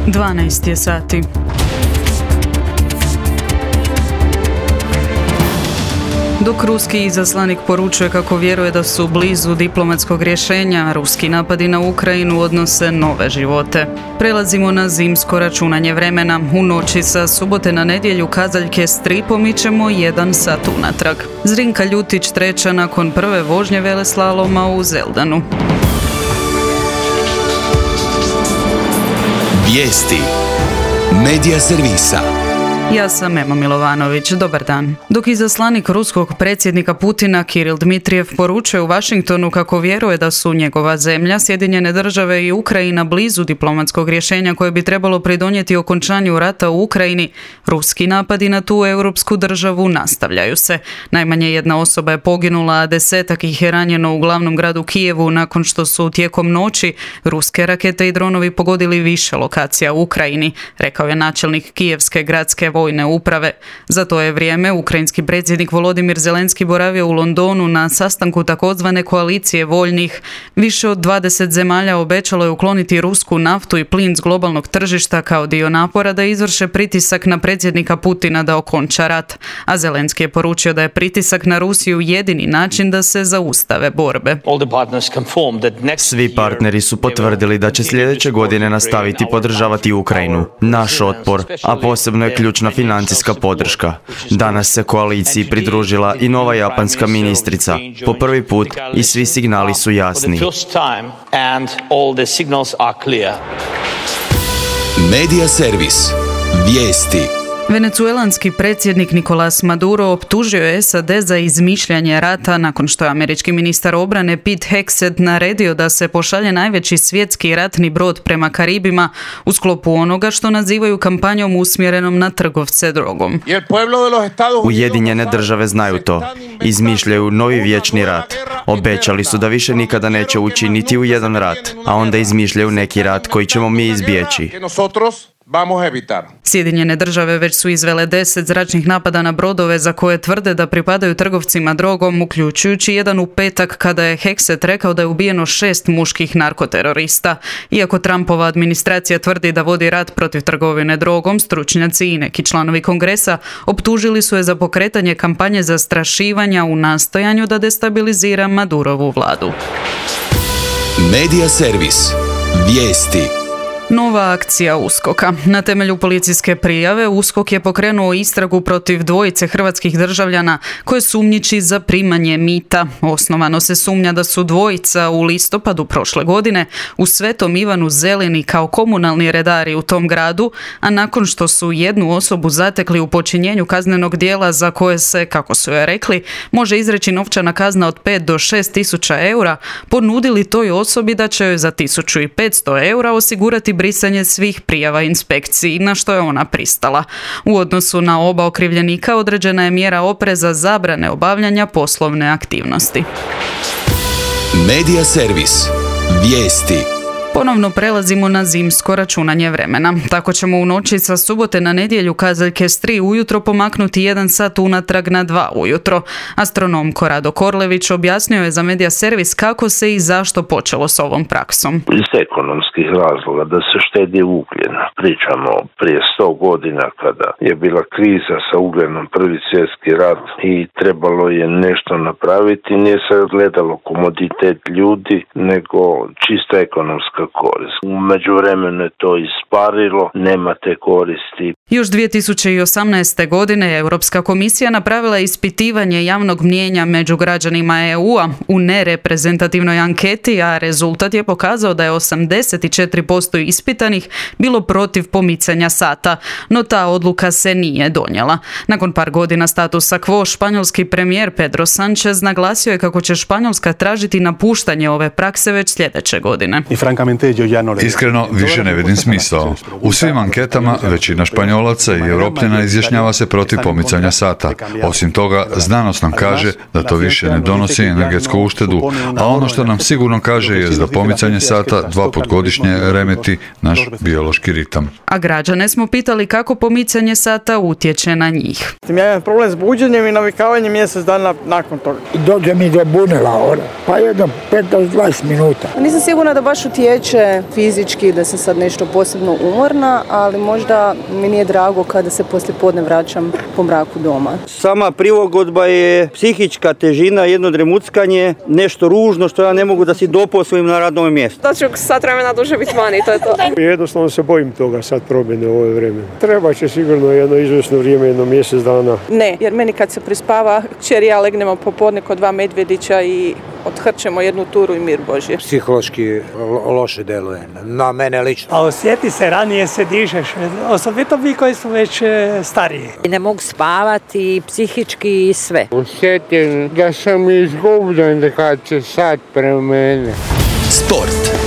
12 je sati. Dok ruski izaslanik poručuje kako vjeruje da su blizu diplomatskog rješenja, ruski napadi na Ukrajinu odnose nove živote. Prelazimo na zimsko računanje vremena. U noći sa subote na nedjelju kazaljke s 3 pomičemo 1 sat unatrag. Zrinka Ljutić treća nakon prve vožnje veleslaloma u Zeldanu. Vijesti Medija servisa. Ja sam Ema Milovanović, dobar dan. Dok izaslanik ruskog predsjednika Putina Kiril Dmitrijev poručuje u Washingtonu kako vjeruje da su njegova zemlja, Sjedinjene države i Ukrajina blizu diplomatskog rješenja koje bi trebalo pridonijeti okončanju rata u Ukrajini, ruski napadi na tu europsku državu nastavljaju se. Najmanje jedna osoba je poginula, a 10-ak ih je ranjeno u glavnom gradu Kijevu nakon što su tijekom noći ruske rakete i dronovi pogodili više lokacija u Ukrajini, rekao je načelnik Kijevske gradske vojne uprave. Za to je vrijeme ukrajinski predsjednik Volodimir Zelenski boravio u Londonu na sastanku takozvane koalicije voljnih. Više od 20 zemalja obećalo je ukloniti rusku naftu i plin s globalnog tržišta kao dio napora da izvrše pritisak na predsjednika Putina da okonča rat. A Zelenski je poručio da je pritisak na Rusiju jedini način da se zaustave borbe. Svi partneri su potvrdili da će sljedeće godine nastaviti podržavati Ukrajinu, naš otpor, a posebno je ključna financijska podrška. Danas se koaliciji pridružila i nova japanska ministrica. Po prvi put i svi signali su jasni. Medija servis. Vijesti. Venecuelanski predsjednik Nicolás Maduro optužio je SAD za izmišljanje rata nakon što je američki ministar obrane Pete Hegseth naredio da se pošalje najveći svjetski ratni brod prema Karibima u sklopu onoga što nazivaju kampanjom usmjerenom na trgovce drogom. Ujedinjene države znaju to. Izmišljaju novi vječni rat. Obećali su da više nikada neće ući niti u jedan rat, a onda izmišljaju neki rat koji ćemo mi izbjeći. Sjedinjene države već su izvele 10 zračnih napada na brodove za koje tvrde da pripadaju trgovcima drogom, uključujući jedan u petak kada je Hegseth rekao da je ubijeno 6 muških narkoterorista. Iako Trumpova administracija tvrdi da vodi rat protiv trgovine drogom, stručnjaci i neki članovi Kongresa optužili su je za pokretanje kampanje zastrašivanja u nastojanju da destabilizira Madurovu vladu. Medija servis. Vijesti. Nova akcija USKOK-a. Na temelju policijske prijave USKOK je pokrenuo istragu protiv dvojice hrvatskih državljana koje sumnjiči za primanje mita. Osnovano se sumnja da su dvojica u listopadu prošle godine u Svetom Ivanu Zelini kao komunalni redari u tom gradu, a nakon što su jednu osobu zatekli u počinjenju kaznenog djela za koje se, kako su joj rekli, može izreći novčana kazna od 5 do 6 tisuća eura, ponudili toj osobi da će joj za 1500 eura osigurati brisanje svih prijava inspekciji, na što je ona pristala. U odnosu na oba okrivljenika određena je mjera opreza zabrane obavljanja poslovne aktivnosti. Medija servis. Vijesti. Ponovno prelazimo na zimsko računanje vremena. Tako ćemo u noći sa subote na nedjelju kazaljke s 3 ujutro pomaknuti 1 sat unatrag na 2 ujutro. Astronom Korado Korlević objasnio je za Medija servis kako se i zašto počelo s ovom praksom. Iz ekonomskih razloga da se štedi ugljen. Pričamo prije 100 godina kada je bila kriza sa ugljenom, prvi svjetski rat i trebalo je nešto napraviti. Nije se gledalo komoditet ljudi, nego čista ekonomska korist. U međuvremenu je to isparilo, nema te koristi. Još 2018. godine Europska komisija napravila ispitivanje javnog mnijenja među građanima EU-a u nereprezentativnoj anketi, a rezultat je pokazao da je 84% ispitanih bilo protiv pomicanja sata, no ta odluka se nije donijela. Nakon par godina statusa quo, španjolski premijer Pedro Sánchez naglasio je kako će Španjolska tražiti napuštanje ove prakse već sljedeće godine. Iskreno, više ne vidim smisao. U svim anketama većina Španjolaca i Europljana izjašnjava se protiv pomicanja sata. Osim toga, znanost nam kaže da to više ne donosi energetsku uštedu, a ono što nam sigurno kaže je da pomicanje sata 2 put godišnje remeti naš biološki ritam. A građane smo pitali kako pomicanje sata utječe na njih. Ja imam problem s buđenjem i navikavanjem mjesec dana nakon toga. Dođe mi do bunela, pa jedno 15-20 minuta. Nisam sigurna da baš utječe tiče fizički da sam sad nešto posebno umorna, ali možda mi nije drago kada se poslijepodne vraćam po mraku doma. Sama prilagodba je psihička težina, jedno dremuckanje, nešto ružno što ja ne mogu da si doposlim na radnom mjestu. Da ću sat vremena duže biti vani, to je to. Jednostavno se bojim toga sad promjene u ovo vrijeme. Treba će sigurno jedno izvjesno vrijeme, jedno mjesec dana. Ne, jer meni kad se prispava, kćer i ja legnemo popodne kod 2 medvjedića i odhrćemo jednu turu i mir Božje. Psihološki loše deluje, na mene lično. A osjeti se, ranije se dižeš, osobito vi koji su već stariji. Ne mogu spavati, psihički i sve. Osjetim da sam izgubljen kad se sad promene. Sport.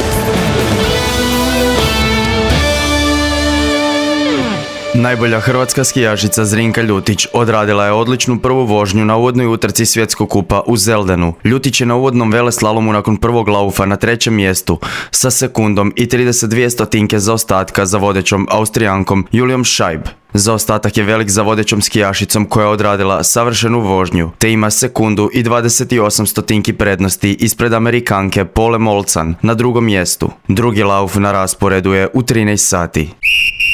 Najbolja hrvatska skijašica Zrinka Ljutić odradila je odličnu prvu vožnju na uvodnoj utrci Svjetskog kupa u Zeldenu. Ljutić je na uvodnom veleslalomu nakon prvog laufa na 3. mjestu sa sekundom i 32 stotinke zaostatka za vodećom Austrijankom Julijom Scheib. Zaostatak je velik za vodećom skijašicom koja je odradila savršenu vožnju, te ima sekundu i 28 stotinki prednosti ispred Amerikanke Pole Molcan na 2. mjestu. Drugi lauf na rasporedu je u 13 sati.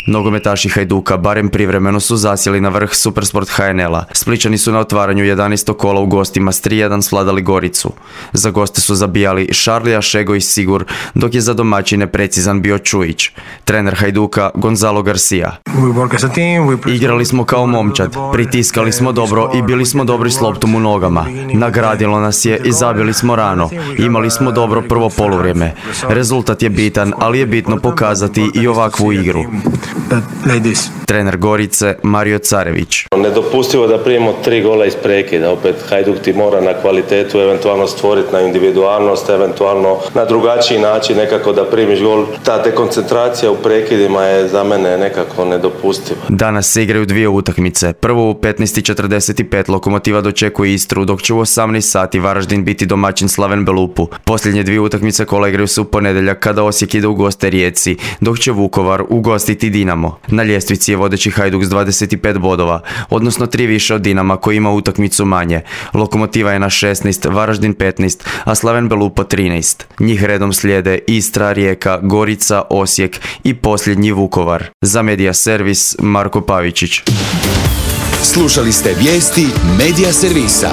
Nogometaši Hajduka barem privremeno su zasjeli na vrh Supersport HNL-a. Splićani su na otvaranju 11. kola u gostima s 3:1 svladali Goricu. Za goste su zabijali Šarlija, Šego i Sigur, dok je za domaćine precizan bio Čujić. Trener Hajduka Gonzalo Garcia. Igrali smo kao momčad, pritiskali smo dobro i bili smo dobri s loptom u nogama. Nagradilo nas je i zabili smo rano. Imali smo dobro prvo poluvrijeme. Rezultat je bitan, ali je bitno pokazati i ovakvu igru. Trener Gorice Mario Carević. Nedopustivo da primimo 3 gola iz prekida. Opet Hajduk ti mora na kvalitetu eventualno stvoriti, na individualnost, eventualno na drugačiji način nekako da primiš gol. Ta dekoncentracija u prekidima je za mene nekako nedopustiva. Danas se igraju 2 utakmice. Prvo u 15:45 Lokomotiva dočekuje Istru, dok će u 18 sati Varaždin biti domaćin Slaven Belupu. Posljednje 2 utakmice kola igraju se u ponedjeljak kada Osijek ide u goste Rijeci, dok će Vukovar ugostiti Dinamo. Na ljestvici je vodeći Hajduk s 25 bodova, odnosno 3 više od Dinama koji ima utakmicu manje. Lokomotiva je na 16, Varaždin 15, a Slaven Belupo 13. Njih redom slijede Istra, Rijeka, Gorica, Osijek i posljednji Vukovar. Za Medija Servis Marko Pavičić. Slušali ste vijesti Medija Servisa.